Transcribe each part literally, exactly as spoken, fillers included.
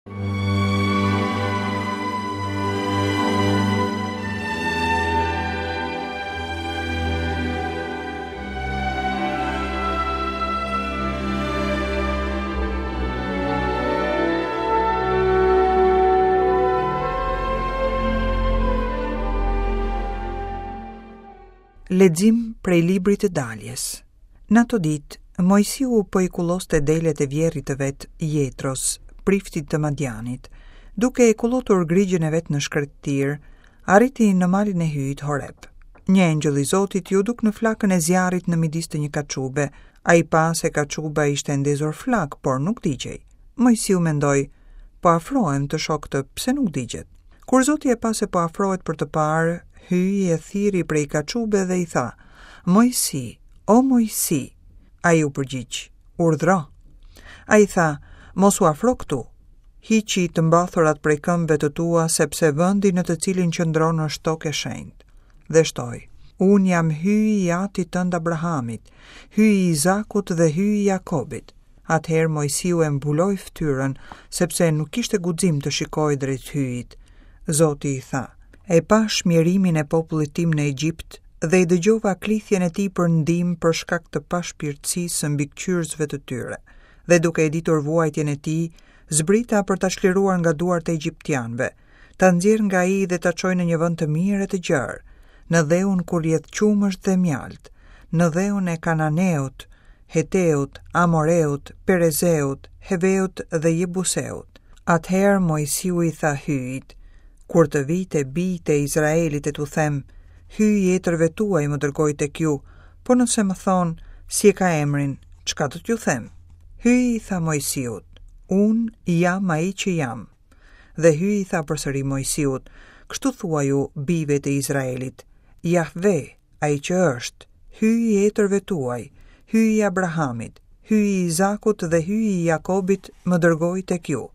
Lexim prej librit të daljes. Në ato ditë, Moisiu po i kulloste delet e vjerrit të vet Jetros, priftit të Madianit, duke e kullotur grigjën e vet në shkretëtirë, arriti në malin e Hyjit Horeb. Një engjëll i Zotit iu duk në flakën e zjarrit në midis të një kaçube. Ai pa se kaçuba ishte ndezur flakë, por nuk digjej. Moisiu mendoi, po afrohem të shoh këtë, pse nuk digjet? Kur Zoti e pa se po afrohet për të parë, Hyji e thirri prej kaçube dhe i tha, Moisi, o Moisi. Ai u përgjigj, urdhro. Ai tha, mos u afro këtu. Hiqi të mbathurat prej këmbëve të tua, sepse vendi në të cilin qëndron është tokë e shenjtë. Dhe shtoi, unë jam Hyji i atit tënd Abrahamit, Hyji i Izakut dhe Hyji i Jakobit. Atëherë Moisiu e mbuloi fytyrën, sepse nuk kishte guxim të shikojë drejt Hyjit. Zoti i tha, e pash mjerimin e popullit tim në Egjipt dhe e dëgjova klithjen e tij për ndihmë për shkak të pashpirtësisë së mbikëqyrësve të tyre. Dhe duke e ditur vuajtjen e tij, zbrita për ta çliruar nga duart e egjiptianëve, ta nxjerr nga ai dhe ta çoj në një vend të mirë e të gjerë, në dheun ku rrjedh qumësht dhe mjalt, në dheun e Kananeut, Heteut, Amoreut, Perezeut, Heveut dhe Jebuseut. Atëherë Moisiu i tha Hyjit, kur të vij te bijtë e Izraelit e t'u them, Hyji i etërve tuaj më dërgoi tek ju, po nëse më thonë, si e ka emrin, çka do t'ju them? Hyji i tha Moisiut, unë jam ai që jam. Dhe Hyji i tha përsëri Moisiut, kështu thuaju bijve të Izraelit, Jahve, ai që është, Hyji i etërve tuaj, Hyji i Abrahamit, Hyji i Izakut dhe Hyji i Jakobit më dërgoi tek ju.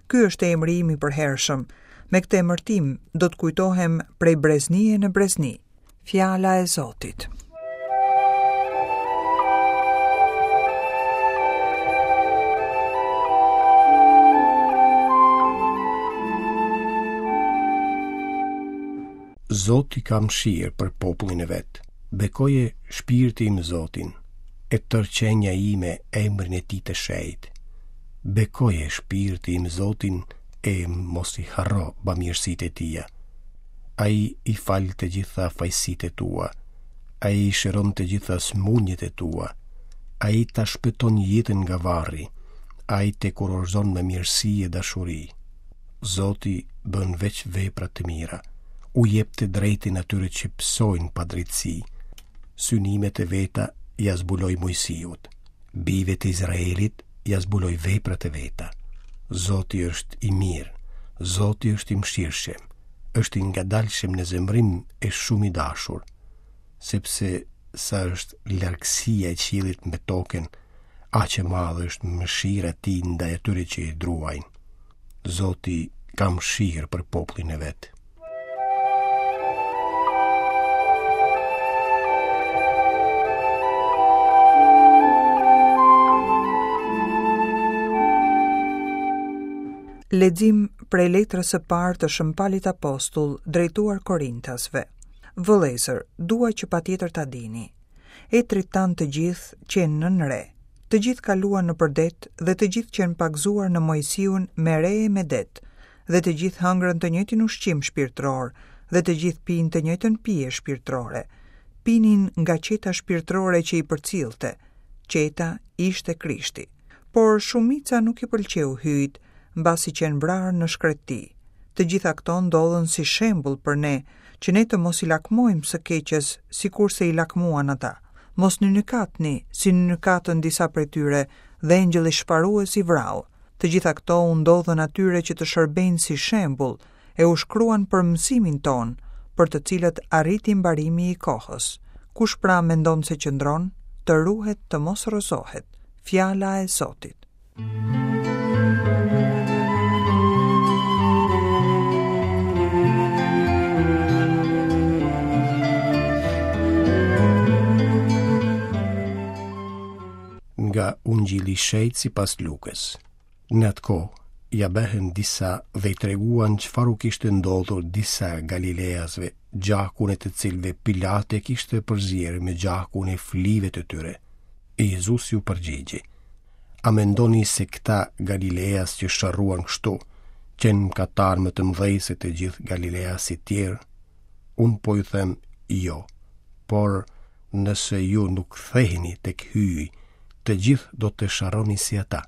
Ky është emri im i përhershëm. Me këtë emërtim do të kujtohem prej breznie në brezni. Fjala e Zotit. Zoti ka mëshirë për popullin e vet. Bekoje shpirti im Zotin, e tërë qenia ime emrin e tij të shenjtë. Bekoje shpirti im Zotin, e mos i harro bamirësitë e tija. Ai i fal të gjitha fajësitë e tua, ai i shëron të gjitha sëmundjet e tua, ai ta shpëton jetën nga varri, ai të kurorëzon me mirësi e dashuri. Zoti bën veç vepra të mira, u jep të drejtën atyre që pësojnë padrejtësi. Synimet e veta ia zbuloi Moisiut, bijve të Izraelit ia zbuloi veprat e veta. Zoti është i mirë, Zoti është i mëshirshëm, është i ngadalshëm në zemërim e shumë i dashur, sepse sa është largësia e qiellit me tokën, aq e madhe është mëshira e tij ndaj atyre që e druajnë. Zoti ka mëshirë për popullin e vet. Lexim prej letrës së parë të Shën Palit Apostull drejtuar Korintasve. Vëllezër, dua që patjetër ta dini. Etrit tanë të gjithë qenë nën re. Të gjithë kaluan nëpër det dhe të gjithë qenë pagëzuar në Moisiun me re e me det, dhe të gjithë hëngrën të njëjtin ushqim shpirtëror dhe të gjithë pinë të njëjtën pije shpirtërore. Pinin nga qeta shpirtërore që i përcillte. Qeta ishte Krishti. Por shumica nuk i pëlqeu Hyjit, mbasi qenë vrarë në shkretëti. Të gjitha këto ndodhën si shembull për ne, që ne të mos i lakmojmë së keqes, sikurse i lakmuan ata. Mos nynykatni, si nynykatën disa prej tyre, dhe engjëlli shparues i vrau. Të gjitha këto u ndodhën atyre që të shërbejnë si shembull, e u shkruan për mësimin tonë, për të cilët arriti mbarimi i kohës. Kush pra mendon se qëndron, të ruhet të mos rrëzohet. Fjala e Zotit. Nga Ungjilli i Shenjtë sipas Lukës. Në atë kohë, ia bëhen disa dhe i treguan çfarë u kishte ndodhur disa Galileasve, gjakun e të cilëve Pilate kishte përzier me gjakun e flive të tyre. E Jezusi u përgjigji: A mendoni se këta Galileas që sharruan kështu, qenë mëkatar më të mëdhej se të gjithë Galileasit tjerë? Unë po ju them jo, por nëse ju nuk ktheheni tek Hyji, të gjithë do të sharroni si ata.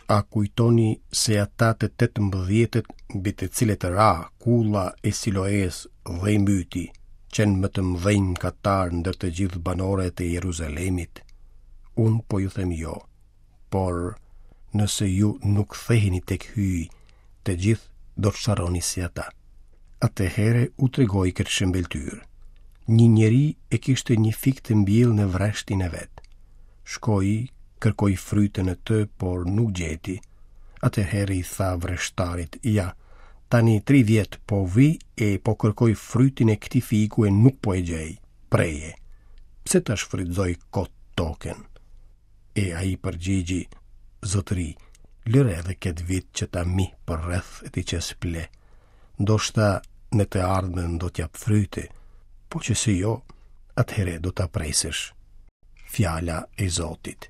A kujtoni se ata të tetëmbëdhjetët mbi të cilët ra kulla e Siloes dhe i mbyti, qenë më të mëdhenj mëkatar ndër të gjithë banorët e Jeruzalemit? Unë po ju them jo, por nëse ju nuk ktheheni tek Hyji, të gjithë do të sharroni si ata. Atëherë u tregoi këtë shëmbëlltyrë. Një njeri e kishte një fik të mbjellë në vreshtin e vet. Shkoi, kërkoi frytën e të, por nuk gjeti. Atëherë i tha vreshtarit: Ja, tani tri vjet po vi e po kërkoj frytin e këtij fiku e nuk po e gjej. Preje. Pse ta shfrytëzoj kot tokën? E ai përgjigji: Zotëri, lëre edhe këtë vit që ta mih për rreth e t'i qes ple. Ndoshta në të ardhmen do t'jap fryte, po që se jo, atëherë do ta presësh. Fjala e Zotit.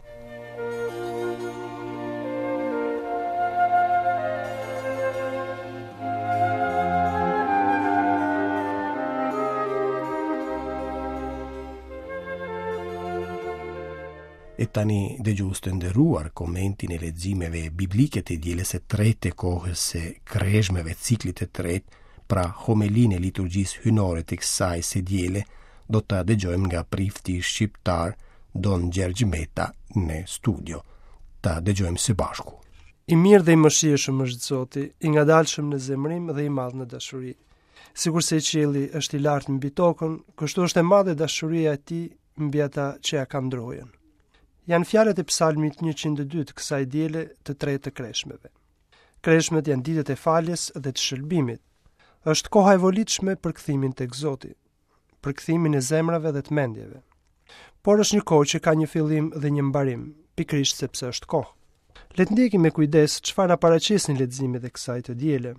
E tani dëgjues të nderuar, komentin e leximeve biblike të dielës së tretë të kohës së kreshmeve, ciklit të tretë, pra homelinë e liturgjisë hyjnore të kësaj së diele, do ta dëgjojmë nga prifti shqiptar Don Gjergj Meta në studio. Ta dëgjojmë së bashku. I mirë dhe i mëshirshëm është Zoti, i ngadalshëm në zemrim dhe i madh në dashuri. Sikurse qielli është i lartë mbi tokën, kështu është e madhe dashuria e tij mbi ata që ja kanë drojën. Janë fjalët e psalmit njëqind e dy të kësaj diele të tretë të kreshmeve. Kreshmet janë ditët e faljes dhe të shëlbimit. Është koha e volitshme për kthimin tek Zoti, për kthimin e zemrave dhe të mendjeve. Por është një kohë që ka një fillim dhe një mbarim, pikërisht sepse është kohë. Le të ndjekim me kujdes çfarë na paraqesin leximet e kësaj të diele.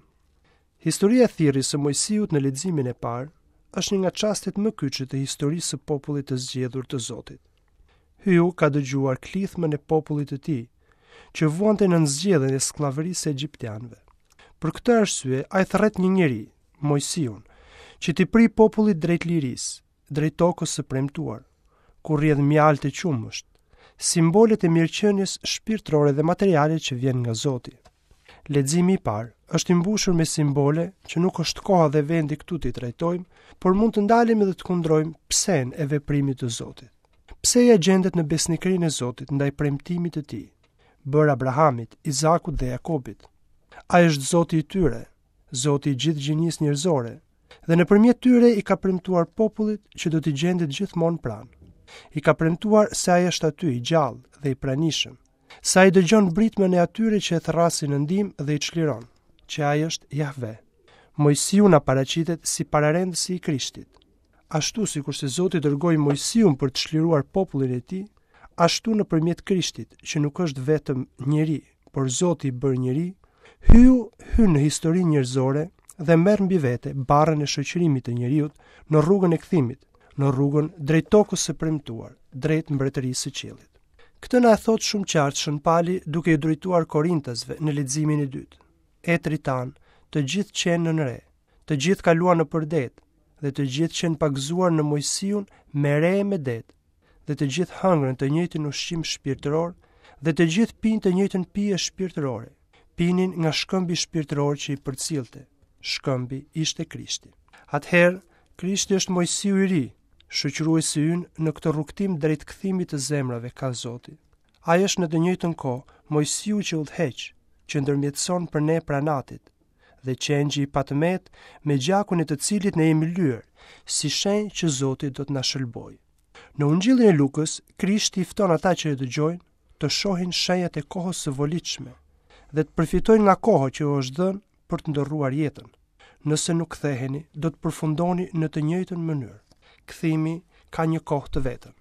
Historia e thirrjes së Moisiut në leximin e parë është një nga çastet më kyçe të historisë së popullit të zgjedhur të Zotit. Hyu ka dëgjuar klithmën e popullit të tij, që vuante nën zgjedhjen e skllavërisë së egjiptianëve. Për këtë arsye, ai thërret një njeri, Moisiun, që t'i pri popullit drejt lirisë, drejt tokës së premtuar, ku rrjedh mjaltë e qumësht, simbolet e mirëqenies shpirtërore dhe materiale që vjen nga Zoti. Leximi i parë është i mbushur me simbole që nuk është koha dhe vendi këtu t'i trajtojmë, por mund të ndalemi dhe të kundrojmë psen e veprimit të Zotit. Pseja gjendet në besnikërinë e Zotit ndaj premtimit të tij, bërë Abrahamit, Izakut dhe Jakobit. Ai është Zoti i tyre, Zoti i gjithë gjinisë njerëzore, dhe nëpërmjet tyre i ka premtuar popullit që do t'i gjendet gjithmonë pranë. I ka premtuar se ai është aty i gjallë dhe i pranishëm, se ai dëgjon britmën e atyre që e thërrasin në ndihmë dhe i çliron, që ai është Jahve. Moisiu na paraqitet si pararendësi i Krishtit. Ashtu sikurse Zoti dërgoi Moisiun për të çliruar popullin e tij, ashtu nëpërmjet Krishtit, që nuk është vetëm njeri, por Zoti i bërë njeri, Hyu hyn në historinë njerëzore dhe merr mbi vete barrën e shoqërimit të njeriut në rrugën e kthimit, në rrugën drejt tokës së premtuar, drejt mbretërisë së qiellit. Këtë na e thot shumë qartë Shën Pali duke i drejtuar Korintasve në leximin e dytë. Etrit tanë, të gjithë qenë nën re, të gjithë kaluan nëpër det, dhe të gjithë qenë pagëzuar në Moisiun me re e me det, dhe të gjithë hëngrën të njëjtin ushqim shpirtëror, dhe të gjithë pinë të njëjtën pije shpirtërore, pinin nga shkëmbi shpirtëror që i përcillte. Shkëmbi ishte Krishti. Atëherë, Krishti është Moisiu i ri, shoqëruesi ynë në këtë rrugtim drejt kthimit të zemrave ka Zoti. Ai është në të njëjtën kohë Moisiu që udhëheq, që ndërmjetëson për ne pranatit, dhe qengji i patëmet me gjakun e të cilit ne jemi lyer, si shenjë që Zoti do të na shëlbojë. Në Ungjillin e Lukës, Krishti i fton ata që e dëgjojnë të shohin shenjat e kohës së volitshme dhe të përfitojnë nga koha që u është dhënë për të ndërruar jetën. Nëse nuk ktheheni, do të përfundoni në të njëjtën mënyrë. Kthimi ka një kohë të vetën.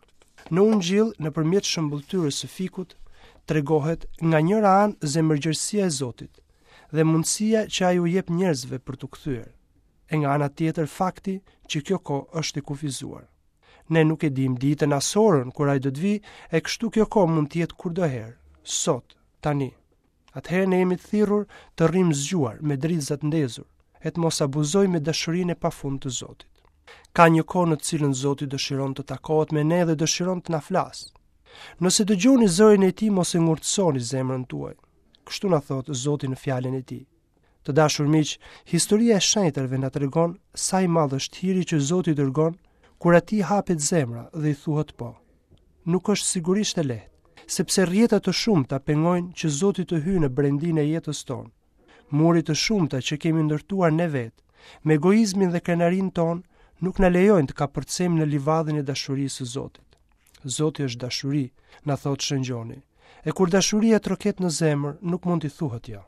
Në Ungjill, nëpërmjet shëmbëlltyrës së fikut, tregohet nga njëra anë zemërgjerësia e Zotit dhe mundësia që ai u jep njerëzve për t'u kthyer. E nga ana tjetër fakti që kjo kohë është e kufizuar. Ne nuk e dimë ditën as orën kur ai do të vijë, e kështu kjo kohë mund të jetë kurdoherë, sot, tani. Atëherë ne jemi të thirrur të rrimë zgjuar me dritzat ndezur e të mos abuzojmë me dashurinë e pafund të Zotit. Ka një kohë në të cilën Zoti dëshiron të takohet me ne dhe dëshiron të na flasë. Nëse dëgjoni zërin e tij, mos e ngurtësoni zemrën tuaj. Kështu na thotë Zoti në fjalën e tij. Të dashur miq, historia e shenjtërve na tregon sa i madh është hiri që Zoti dërgon kur atij hapet zemra dhe i thuhet po. Nuk është sigurisht e lehtë, sepse rrjeta të shumta pengojnë që Zoti të hyjë në brendinë e jetës tonë. Muri të shumta që kemi ndërtuar ne vetë, me egoizmin dhe krenarinë tonë, nuk na lejojnë të kapërcejmë në livadhin e dashurisë së Zotit. Zoti është dashuri, na thotë Shën Gjoni. E kur dashuria troket në zemër, nuk mund t'i thuhet jo.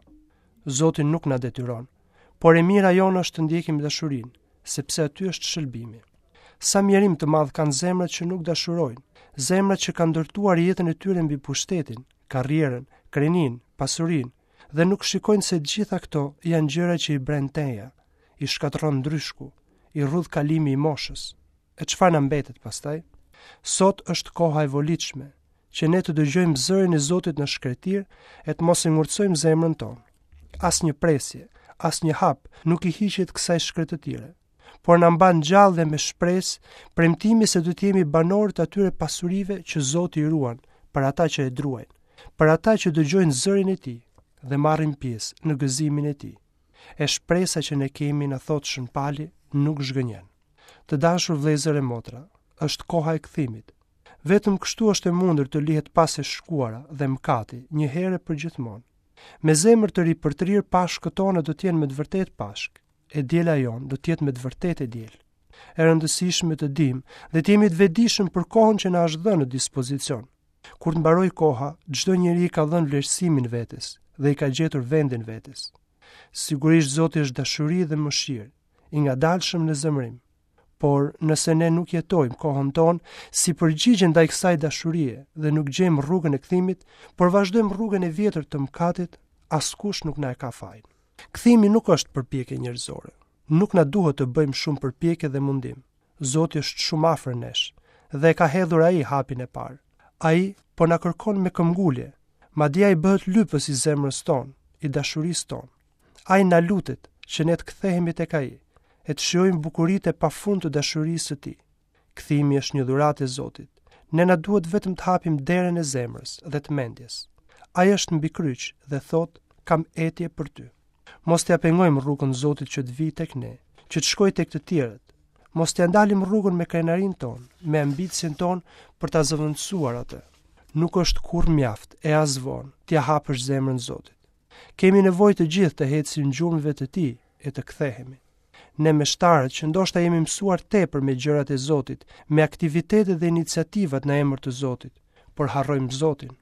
Zoti nuk na detyron, por e mira jonë është të ndjekim dashurinë, sepse aty është shëlbimi. Sa mjerim të madh kanë zemrat që nuk dashurojnë, zemrat që kanë ndërtuar jetën e tyre mbi pushtetin, karrierën, kreninë, pasurinë, dhe nuk shikojnë se të gjitha këto janë gjëra që i bren teja, i shkatërron ndryshku, i rrudh kalimi i moshës. E çfarë na mbetet pastaj? Sot është koha e volitshme, që ne të dëgjojmë zërin e Zotit në shkretir e të mos e ngurtësojmë zemrën tonë. Asnjë presje, asnjë hap nuk i hiqet kësaj shkretëtire, por na mban gjallë dhe me shpresë premtimi se do të jemi banorë të atyre pasurive që Zoti i ruan për ata që e druajnë, për ata që dëgjojnë zërin e tij dhe marrin pjesë në gëzimin e tij. E shpresa që ne kemi, na thotë Shën Pali, nuk zhgënjen. Të dashur vëllezër e motra, është koha e kthimit. Vetëm kështu është e mundur të lihet pas e shkuara dhe mëkati një herë për gjithmonë. Me zemër të ripërtrirë Pashkët tona do të jenë me të vërtetë Pashkë, e diela jonë do të jetë me të vërtetë e diel. E rëndësishme të dim dhe të jemi të vetëdijshëm për kohën që na është dhënë në dispozicion. Kur të mbaroj koha, çdo njeri i ka dhënë vlerësimin vetes dhe i ka gjetur vendin vetes. Sigurisht Zoti është dashuri dhe mëshirë, i ngadalshëm në zemërim. Por nëse ne nuk jetojmë kohën tonë si përgjigje ndaj kësaj dashurie dhe nuk gjejmë rrugën e kthimit, por vazhdojmë rrugën e vjetër të mëkatit, askush nuk na e ka fajin. Kthimi nuk është përpjekje njerëzore. Nuk na duhet të bëjmë shumë përpjekje dhe mundim. Zoti është shumë afër nesh dhe e ka hedhur ai hapin e parë. Ai po na kërkon me këmbgulje, madje ai bëhet lypës i zemrës tonë, i dashurisë tonë. Ai na lutet që ne të kthehemi tek ai e të shijojmë bukuritë e pafund të dashurisë së tij. Kthimi është një dhuratë e Zotit. Ne na duhet vetëm të hapim derën e zemrës dhe të mendjes. Ai është mbi kryq dhe thotë, kam etje për ty. Mos t'ia pengojmë rrugën Zotit që të vijë tek ne, që të shkojë tek të tjerët. Mos t'ia ndalim rrugën me krenarinë tonë, me ambicien tonë për ta zëvendësuar atë. Nuk është kurrë mjaft e as vonë t'ia hapësh zemrën Zotit. Kemi nevojë të gjithë të ecim gjurmëve të tij e të kthehemi. Ne meshtarët që ndoshta jemi mësuar tepër me gjërat e Zotit, me aktivitetet dhe iniciativat në emër të Zotit, por harrojmë Zotin.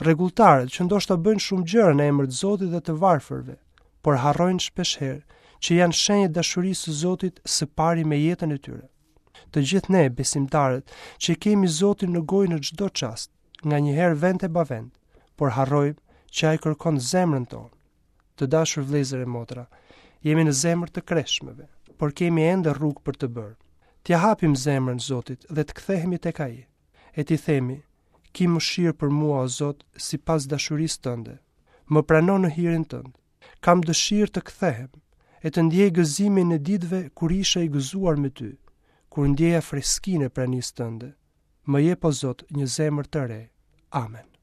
Rregulltarët që ndoshta bëjnë shumë gjëra në emër të Zotit dhe të varfërve, por harrojnë shpeshherë që janë shenjë e dashurisë së Zotit së pari me jetën e tyre. Të gjithë ne besimtarët që kemi Zotin në gojë në çdo çast, nganjëherë vend e pa vend, por harrojmë që ai kërkon zemrën tonë. Të dashur vëllezër e motra, jemi në zemër të kreshmeve, por kemi ende rrugë për të bërë. T'ia hapim zemrën Zotit dhe të kthehemi tek Ai, e t'i themi, ki mëshirë për mua, o Zot, sipas dashurisë tënde. Më prano në hirin tënd. Kam dëshirë të kthehem e të ndjej gëzimin e ditëve kur isha i gëzuar me ty, kur ndjeja freskinë e pranisë tënde. Më jep, o Zot, një zemër të re. Amen.